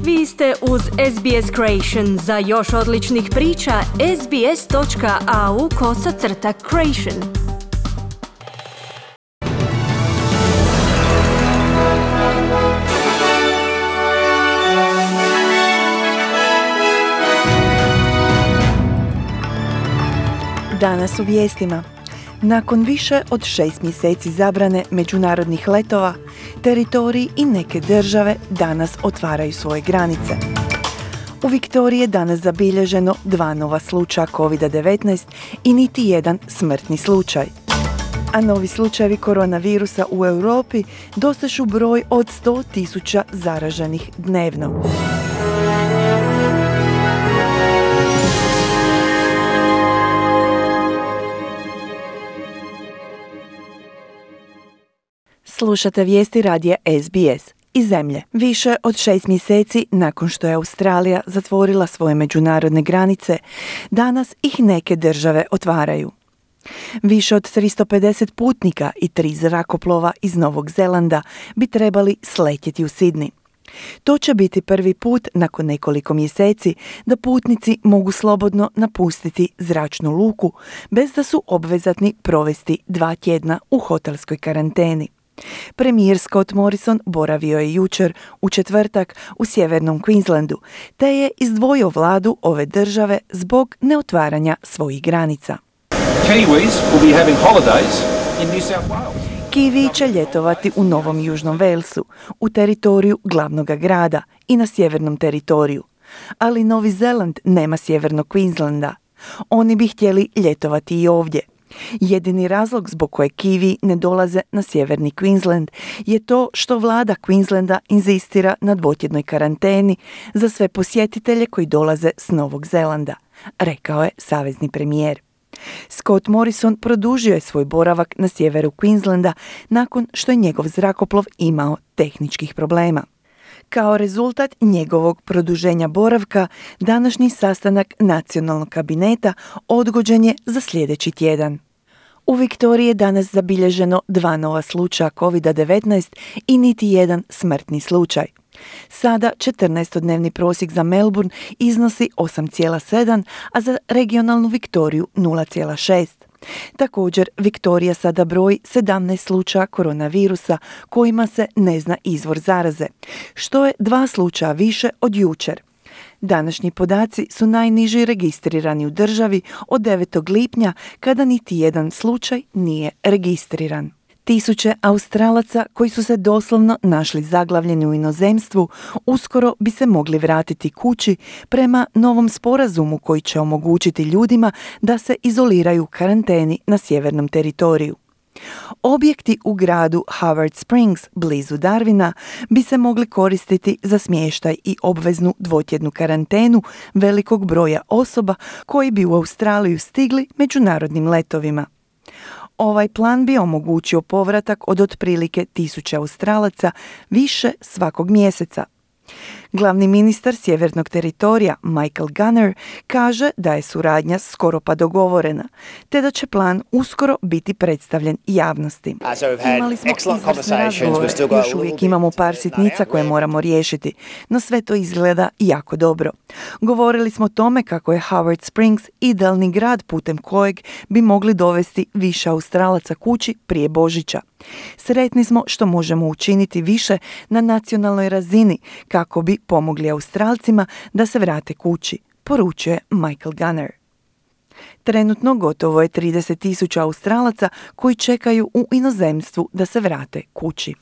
Vi ste uz SBS Creation. Za još odličnih priča, sbs.au/creation. Danas u vijestima. Nakon više od 6 mjeseci zabrane međunarodnih letova, teritoriji i neke države danas otvaraju svoje granice. U Viktoriji je danas zabilježeno 2 nova slučaja COVID-19 i niti jedan smrtni slučaj. A novi slučajevi koronavirusa u Europi dosežu broj od 100.000 zaraženih dnevno. Slušate vijesti radija SBS iz zemlje. Više od 6 mjeseci nakon što je Australija zatvorila svoje međunarodne granice, danas ih neke države otvaraju. Više od 350 putnika i 3 zrakoplova iz Novog Zelanda bi trebali sletjeti u Sidni. To će biti prvi put nakon nekoliko mjeseci da putnici mogu slobodno napustiti zračnu luku bez da su obvezatni provesti 2 tjedna u hotelskoj karanteni. Premijer Scott Morrison boravio je jučer u četvrtak u sjevernom Queenslandu, te je izdvojio vladu ove države zbog neotvaranja svojih granica. Kiwi će ljetovati u Novom Južnom Walesu, u teritoriju glavnog grada i na sjevernom teritoriju. Ali Novi Zeland nema sjevernog Queenslanda. Oni bi htjeli ljetovati i ovdje. Jedini razlog zbog kojeg Kiwi ne dolaze na sjeverni Queensland je to što vlada Queenslanda inzistira na 2-tjednoj karanteni za sve posjetitelje koji dolaze s Novog Zelanda, rekao je savezni premijer. Scott Morrison produžio je svoj boravak na sjeveru Queenslanda nakon što je njegov zrakoplov imao tehničkih problema. Kao rezultat njegovog produženja boravka, današnji sastanak nacionalnog kabineta odgođen je za sljedeći tjedan. U Viktoriji je danas zabilježeno 2 nova slučaja COVID-19 i niti jedan smrtni slučaj. Sada 14-dnevni prosjek za Melbourne iznosi 8,7, a za regionalnu Viktoriju 0,6. Također, Viktorija sada broji 17 slučaja koronavirusa kojima se ne zna izvor zaraze, što je 2 slučaja više od jučer. Današnji podaci su najniži registrirani u državi od 9. lipnja kada niti jedan slučaj nije registriran. Tisuće Australaca koji su se doslovno našli zaglavljeni u inozemstvu uskoro bi se mogli vratiti kući prema novom sporazumu koji će omogućiti ljudima da se izoliraju u karanteni na sjevernom teritoriju. Objekti u gradu Howard Springs, blizu Darwina, bi se mogli koristiti za smještaj i obveznu 2-tjednu karantenu velikog broja osoba koji bi u Australiju stigli međunarodnim letovima. Ovaj plan bi omogućio povratak od otprilike 1000 Australaca više svakog mjeseca. Glavni ministar sjevernog teritorija Michael Gunner kaže da je suradnja skoro pa dogovorena, te da će plan uskoro biti predstavljen javnosti. Imali smo izvrsne razgovore, još uvijek imamo par sitnica koje moramo riješiti, no sve to izgleda jako dobro. Govorili smo o tome kako je Howard Springs idealni grad putem kojeg bi mogli dovesti više Australaca kući prije Božića. Sretni smo što možemo učiniti više na nacionalnoj razini kako bi pomogli Australcima da se vrate kući, poručuje Michael Gunner. Trenutno gotovo je 30.000 Australaca koji čekaju u inozemstvu da se vrate kući.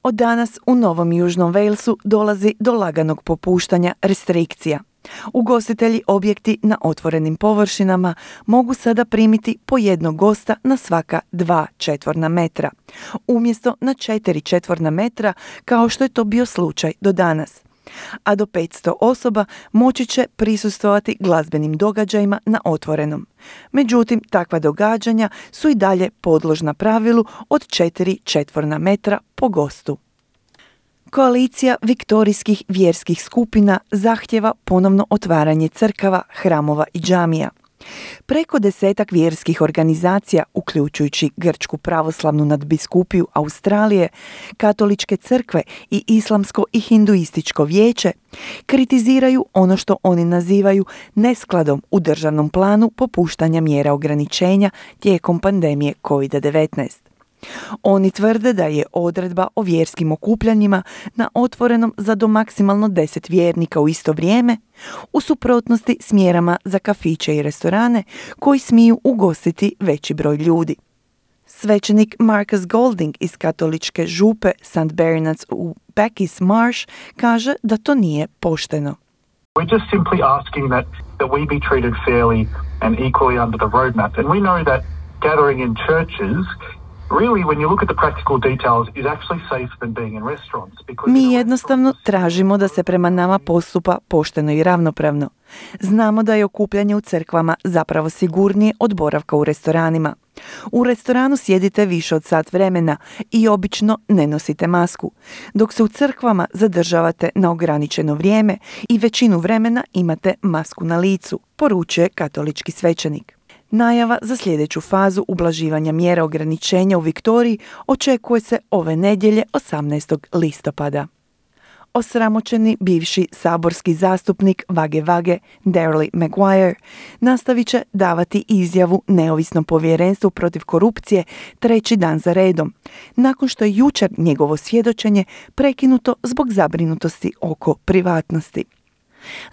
Od danas u Novom Južnom Walesu dolazi do laganog popuštanja restrikcija. Ugostitelji objekti na otvorenim površinama mogu sada primiti po 1 gosta na svaka 2 četvorna metra, umjesto na 4 četvorna metra kao što je to bio slučaj do danas. A do 500 osoba moći će prisustvovati glazbenim događajima na otvorenom. Međutim, takva događanja su i dalje podložna pravilu od 4 četvorna metra po gostu. Koalicija viktorijskih vjerskih skupina zahtjeva ponovno otvaranje crkava, hramova i džamija. Preko 10 vjerskih organizacija, uključujući Grčku pravoslavnu nadbiskupiju Australije, katoličke crkve i islamsko i hinduističko vijeće, kritiziraju ono što oni nazivaju neskladom u državnom planu popuštanja mjera ograničenja tijekom pandemije COVID-19. Oni tvrde da je odredba o vjerskim okupljanjima na otvorenom za do maksimalno 10 vjernika u isto vrijeme u suprotnosti s mjerama za kafiće i restorane koji smiju ugostiti veći broj ljudi. Svećenik Marcus Golding iz katoličke župe St. Bernard's u Bacchus Marsh kaže da to nije pošteno. We're just simply asking that we be treated fairly and equally under the roadmap. And we know that gathering in churches really, when you look at the practical details, is actually safer than being in restaurants. Mi jednostavno tražimo da se prema nama postupa pošteno i ravnopravno. Znamo da je okupljanje u crkvama zapravo sigurnije od boravka u restoranima. U restoranu sjedite više od sat vremena i obično ne nosite masku, dok se u crkvama zadržavate na ograničeno vrijeme i većinu vremena imate masku na licu, poručuje katolički svećenik. Najava za sljedeću fazu ublaživanja mjera ograničenja u Viktoriji očekuje se ove nedjelje 18. listopada. Osramoćeni bivši saborski zastupnik Wage Wage, Darrell Maguire, nastavit će davati izjavu neovisnom povjerenstvu protiv korupcije 3. dan za redom, nakon što je jučer njegovo svjedočenje prekinuto zbog zabrinutosti oko privatnosti.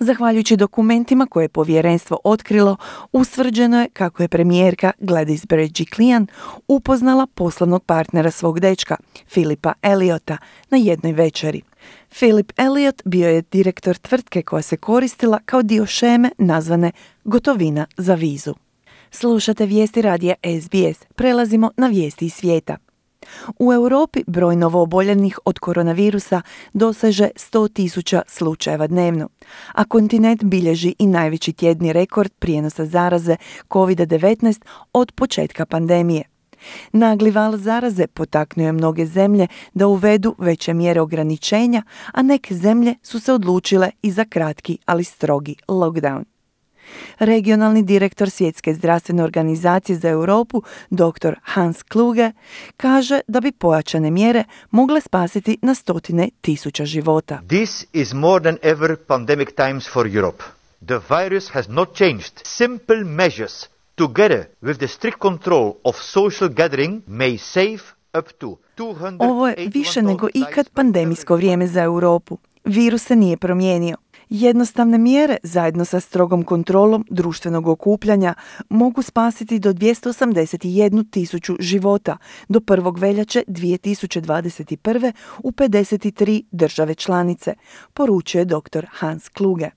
Zahvaljujući dokumentima koje je povjerenstvo otkrilo, ustvrđeno je kako je premijerka Gladys Berejiklian upoznala poslovnog partnera svog dečka, Philipa Elliotta, na jednoj večeri. Philip Elliott bio je direktor tvrtke koja se koristila kao dio šeme nazvane gotovina za vizu. Slušate vijesti radija SBS. Prelazimo na vijesti iz svijeta. U Europi broj novooboljelih od koronavirusa doseže 100.000 slučajeva dnevno, a kontinent bilježi i najveći tjedni rekord prijenosa zaraze COVID-19 od početka pandemije. Nagli val zaraze potaknuo je mnoge zemlje da uvedu veće mjere ograničenja, a neke zemlje su se odlučile i za kratki, ali strogi lockdown. Regionalni direktor Svjetske zdravstvene organizacije za Europu, dr. Hans Kluge, kaže da bi pojačane mjere mogle spasiti na 100.000 života. This is more than ever pandemic times for Europe. The virus has not changed. Simple measures together with the strict control of social gathering may save up to 281. Ovo je više nego ikad pandemijsko vrijeme za Europu. Virus se nije promijenio. Jednostavne mjere zajedno sa strogom kontrolom društvenog okupljanja mogu spasiti do 281.000 života do 1. veljače 2021. u 53 države članice, poručuje dr. Hans Kluge.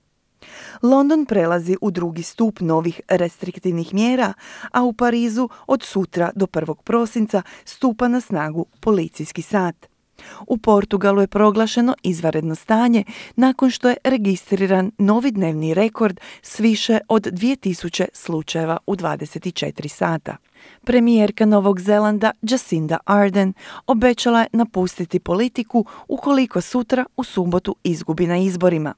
London prelazi u drugi stup novih restriktivnih mjera, a u Parizu od sutra do 1. prosinca stupa na snagu policijski sat. U Portugalu je proglašeno izvanredno stanje nakon što je registriran novi dnevni rekord s više od 2000 slučajeva u 24 sata. Premijerka Novog Zelanda Jacinda Ardern obećala je napustiti politiku ukoliko sutra u subotu izgubi na izborima.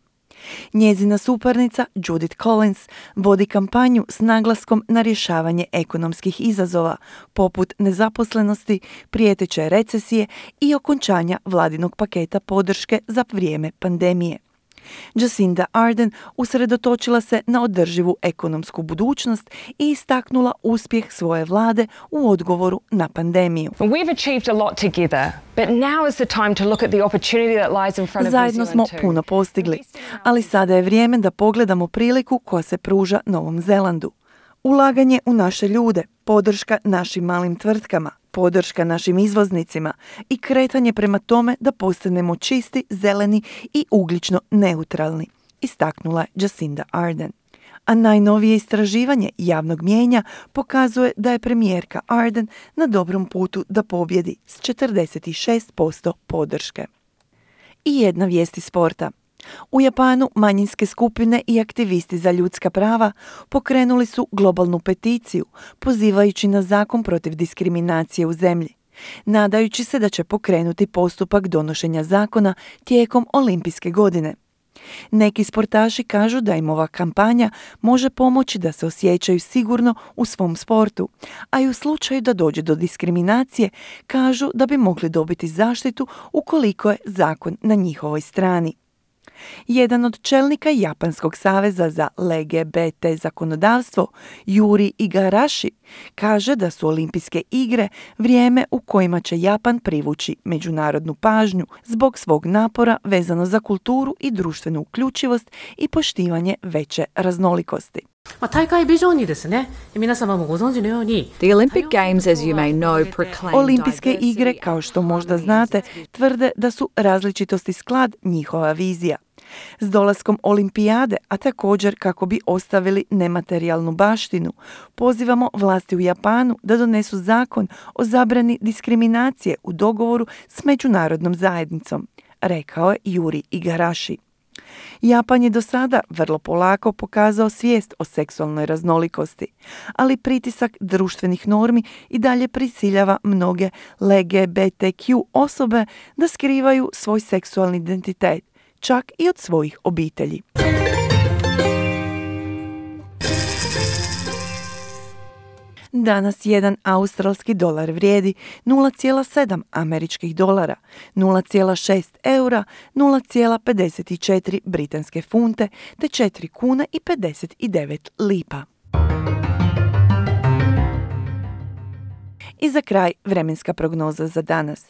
Njezina suparnica Judith Collins vodi kampanju s naglaskom na rješavanje ekonomskih izazova, poput nezaposlenosti, prijeteće recesije i okončanja vladinog paketa podrške za vrijeme pandemije. Jacinda Ardern usredotočila se na održivu ekonomsku budućnost i istaknula uspjeh svoje vlade u odgovoru na pandemiju. We've achieved a lot together, but now is the time to look at the opportunity that lies in front of New Zajedno smo Zealand too. puno postigli, ali sada je vrijeme da pogledamo priliku koja se pruža Novom Zelandu. Ulaganje u naše ljude, podrška našim malim tvrtkama, podrška našim izvoznicima i kretanje prema tome da postanemo čisti, zeleni i ugljično neutralni, istaknula Jacinda Ardern. A najnovije istraživanje javnog mnijenja pokazuje da je premijerka Ardern na dobrom putu da pobjedi s 46% podrške. I jedna vijest iz sporta. U Japanu manjinske skupine i aktivisti za ljudska prava pokrenuli su globalnu peticiju pozivajući na zakon protiv diskriminacije u zemlji, nadajući se da će pokrenuti postupak donošenja zakona tijekom olimpijske godine. Neki sportaši kažu da im ova kampanja može pomoći da se osjećaju sigurno u svom sportu, a i u slučaju da dođe do diskriminacije kažu da bi mogli dobiti zaštitu ukoliko je zakon na njihovoj strani. Jedan od čelnika Japanskog saveza za LGBT zakonodavstvo, Yuri Igarashi, kaže da su olimpijske igre vrijeme u kojima će Japan privući međunarodnu pažnju zbog svog napora vezano za kulturu i društvenu uključivost i poštivanje veće raznolikosti. The Olympic Games, as you may know, proclaim Olimpijske igre, kao što možda znate, tvrde da su različitosti sklad njihova vizija. S dolaskom olimpijade, a također kako bi ostavili nematerijalnu baštinu, pozivamo vlasti u Japanu da donesu zakon o zabrani diskriminacije u dogovoru s međunarodnom zajednicom, rekao je Yuri Igarashi. Japan je do sada vrlo polako pokazao svijest o seksualnoj raznolikosti, ali pritisak društvenih normi i dalje prisiljava mnoge LGBTQ osobe da skrivaju svoj seksualni identitet, čak i od svojih obitelji. Danas jedan australski dolar vrijedi 0,7 američkih dolara, 0,6 eura, 0,54 britanske funte te 4 kune i 59 lipa. I za kraj vremenska prognoza za danas.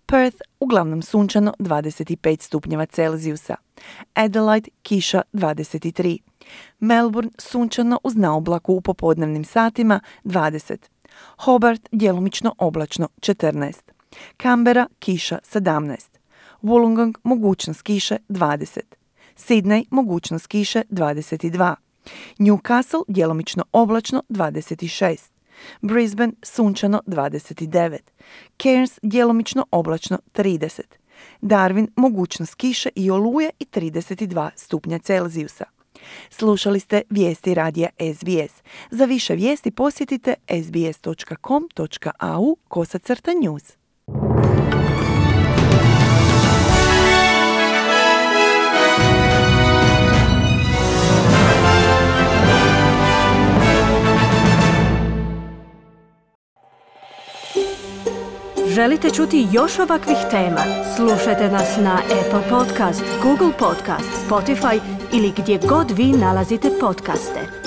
Perth uglavnom sunčano 25 stupnjeva Celzijusa. Adelaide kiša 23. Melbourne sunčano uz naoblaku u popodnevnim satima 20. Hobart djelomično oblačno 14. Canberra kiša 17. Wollongong mogućnost kiše 20. Sydney mogućnost kiše 22. Newcastle djelomično oblačno 26. Brisbane sunčano 29. Cairns djelomično oblačno 30. Darwin mogućnost kiše i oluje i 32 stupnja Celzijusa. Slušali ste vijesti radija SBS. Za više vijesti posjetite sbs.com.au/news. Želite čuti još ovakvih tema? Slušajte nas na Apple Podcast, Google Podcast, Spotify ili gdje god vi nalazite podcaste.